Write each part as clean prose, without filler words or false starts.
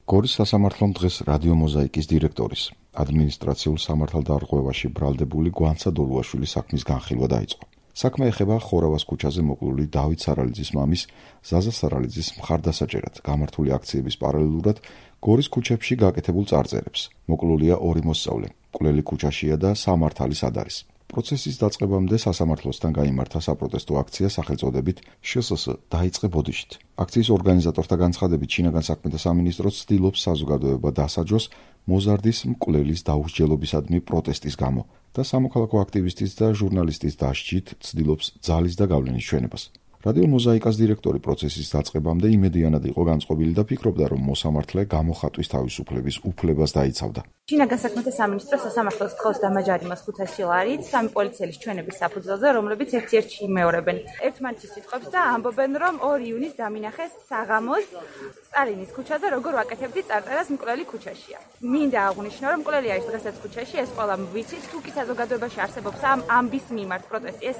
გორის სასამართლომ დღეს რადიო მოზაიკის დირექტორის ადმინისტრაციულ სამართალდარღვევაში ბრალდებული გვანცა დოლუაშვილის საქმის განხილვა დაიწყო. საქმე ეხება ხორავას ქუჩაზე მოკლული დავით სარალიძის მამის ზაზა სარალიძის მხარდასაჭერად გამართული აქციების პარალელურად გორის ქუჩებში გაკეთებულ წარწერებს. მოკლულია ორი მოსწავლე, მკვლელი ქუჩაშია და სამართალის ადარის. პროცესის დაწყებამდე სასამართლოსთან გაიმართა საპროტესტო აქცია სახელწოდებით შსს დაიწყე ბოდიშით. აქციის ორგანიზატორთა განცხადებით შინაგან საქმეთა სამინისტრო ცდილობს საზოგადოება დასაჯოს მოზარდის მკვლელის დაუსჯელობისადმი პროტესტის გამო და სამოქალაქო აქტივისტის და ჟურნალისტის დასჯით ცდილობს ძალის და გავლენის ჩვენებას. რადიო მოზაიკას დირექტორი პროცესის დაწყებამდე იმედიანად იყო განწყობილი და ფიქრობდა, რომ მოსამართლე გამოხატვის თავისუფლების უფლებას დაიცავდა. შინაგან საქმეთა სამინისტრო სასამართლოს თხოვს დამაჯარიმოს 500 ლარით სამი პოლიციელის ჩვენების საფუძველზე, რომლებიც ერთ-ერთში იმეორებენ ერთმანეთის სიტყვებს და ამბობენ, რომ 2 იუნის დამინახეს საღამოს სტალინის ქუჩაზე, როგორ ვაკეთებდი წარწერას მკვლელი ქუჩაშია. მინდა აღვნიშნო, რომ მკვლელი არის დღესაც ქუჩაში, ეს ყველა ვიცით, თუ კი საზოგადოებაში არსებობს ამ ამბის მიმართ პროტესტი, ეს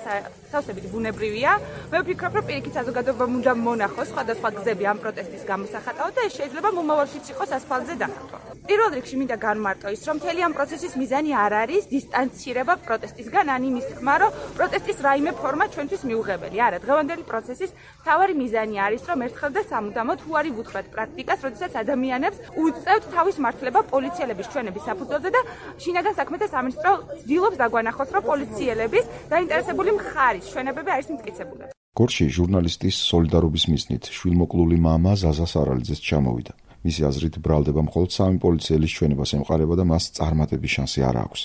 სავსებით ბუნებრივია. მე ვფიქრობ, რომ პირიქით საზოგადოებამ უნდა მონახოს სხვადასხვა გზები ამ პროტესტის გამოსახატავად და ეს შეიძლება მომავალშიც იყოს ასფალტზე დახატვა. პირველ რიგში მინდა განმარტო ის, რომ მთელი ამ პროცესის მიზანი არ არის დისტანცირება პროტესტისგან, ან იმის თქმა, რომ პროტესტის რაიმე ფორმა ჩვენთვის მიუღებელი. არა, დღევანდელი პროცესის მთავარი მიზანი არის, რომ ერთხელ და სამუდამოდ უარი ვუთხრათ პრაქტიკას, როდესაც ადამიანებს უწევთ თავის მართლება პოლიციელების ჩვენების საფუძველზე და შინაგან საქმეთა სამინისტრო ცდილობს დაგვანახოს, რომ პოლიციელების დაინტერესებული მხარის ჩვენებები არის მტკიცებული. გორში ჟურნალისტის სოლიდარობის მიზნით შვილმოკლული მამა ზაზა სარალიძეს ჩამოვიდა. მისი აზრით ბრალდება მხოლოდ სამი პოლიციელის ჩვენებას ემყარება და მას წარმატების შანსი არ აქვს.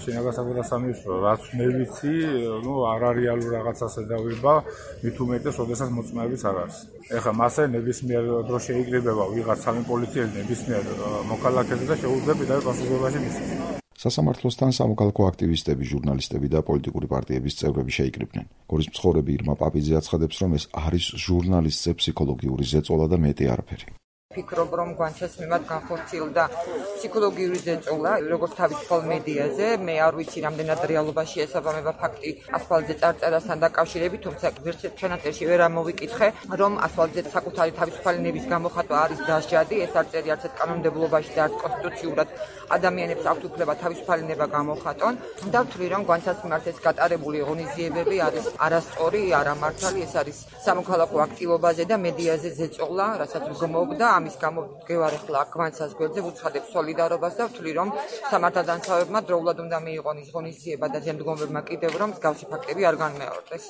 შინაგან საქმეთა სამინისტრო, რაც მე ვიცი, არარეალურ რაღაცას ედავება, მით უმეტეს, როდესაც მოწმეებიც არ არის. ეხლა მასე ნებისმიერ დროს შეიკრიბება ვიღაც სამი პოლიციელი ნებისმიერ მოქალაქეზე და შეუძლია პირდაპირ პასუხისმგებლობაში მისცეს. სასამართლოსთან სამოქალაქო აქტივისტები, ჟურნალისტები და პოლიტიკური პარტიების წევრები შეიკრიბნენ. გორის მცხოვრები ირმა პაპიძე აცხადებს, რომ ეს არის ჟურნალისტზე ფსიქოლოგიური ზეწოლა და მეტი არაფერი. ფიქრობ, რომ გვანჩას მიმართ განხორციელდა ფსიქოლოგიური ზეწოლა, როგორც თავისუფალ მედიაზე. მე არ ვიცი, რამდენად რეალობაში ესაბამება ფაქტი ასფალტზე წარწერასთან დაკავშირებით, თუმცა ვერცერთ ჩანაწერში ვერ ამოვიკითხე, რომ ასფალტზე საკუთარი თავისუფალი ნების გამოხატვა არის დასჯადი. ეს არ წერია არც კანონმდებლობაში და არც კონსტიტუციურად ადამიანებს აქვთ უფლება თავისუფალი ნება გამოხატონ. და ვთვლი, რომ გვანჩას მიმართ ეს გატარებული ღონისძიებები არის არასწორი, არამართალი, ეს არის სამოქალაქო აქტივობაზე და მედიაზე ზეწოლა, რასაც ვგმობ და ამის გამო ვდგევარ ახლა გვანცას გვერდზე, ვუცხადებ სოლიდარობას და ვთვლი, რომ სამართალდამცავებმა დროულად უნდა მიიღონ ის ღონისძიება და შემდგომებმა კიდევ რომ მსგავსი ფაქტები არ განმეორდეს.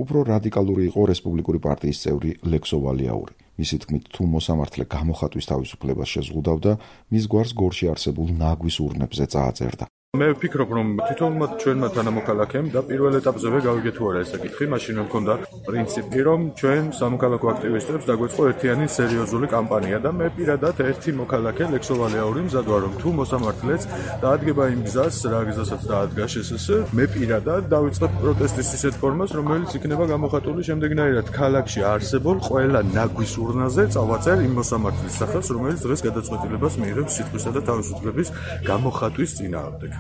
უფრო რადიკალური იყო რესპუბლიკური პარტიის წევრი ლექსო ვალიაური. მისი თქმით, თუ მოსამართლე გამოხატვის თავისუფლებას შეზღუდავდა, მის გვარს გორში არსებულ ნაგვის ურნებზე წააწერდა. მე ვფიქრობ, რომ თითოეულმა ჩვენმა თანამოქალაქემ და პირველ ეტაპზევე გავიგეთ თუ არა ეს საკითხი, მაშინ მქონდა პრინციპი, რომ ჩვენ სამოქალაქო აქტივისტებს დაგვეწყო ერთიანი სერიოზული კამპანია და მე პირადად ერთი მოქალაქე ლექსო ვალიაური მზად ვარ, რომ თუ მოსამართლეც დაადგება იმ გზას, რა გზასაც დაადგა შსს, მე პირადად დავიწყებ პროტესტის ისეთ ფორმას, რომელიც იქნება გამოხატული შემდეგნაირად: ქალაქში არსებულ ყველა ნაგვის ურნაზე წავაწერ იმ მოსამართლის სახელს, რომელიც დღეს გადაწყვეტილებას მიიღებს სიტყვისა და თავისუფლების გამოხატვის წინააღმდეგ.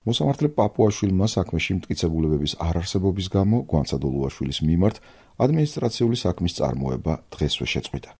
მოსამართლე პაპუაშვილმა საქმეში მტკიცებულებების არარსებობის გამო გვანცა დოლუაშვილის მიმართ ადმინისტრაციული საქმის წარმოება დღესვე შეწყვიტა.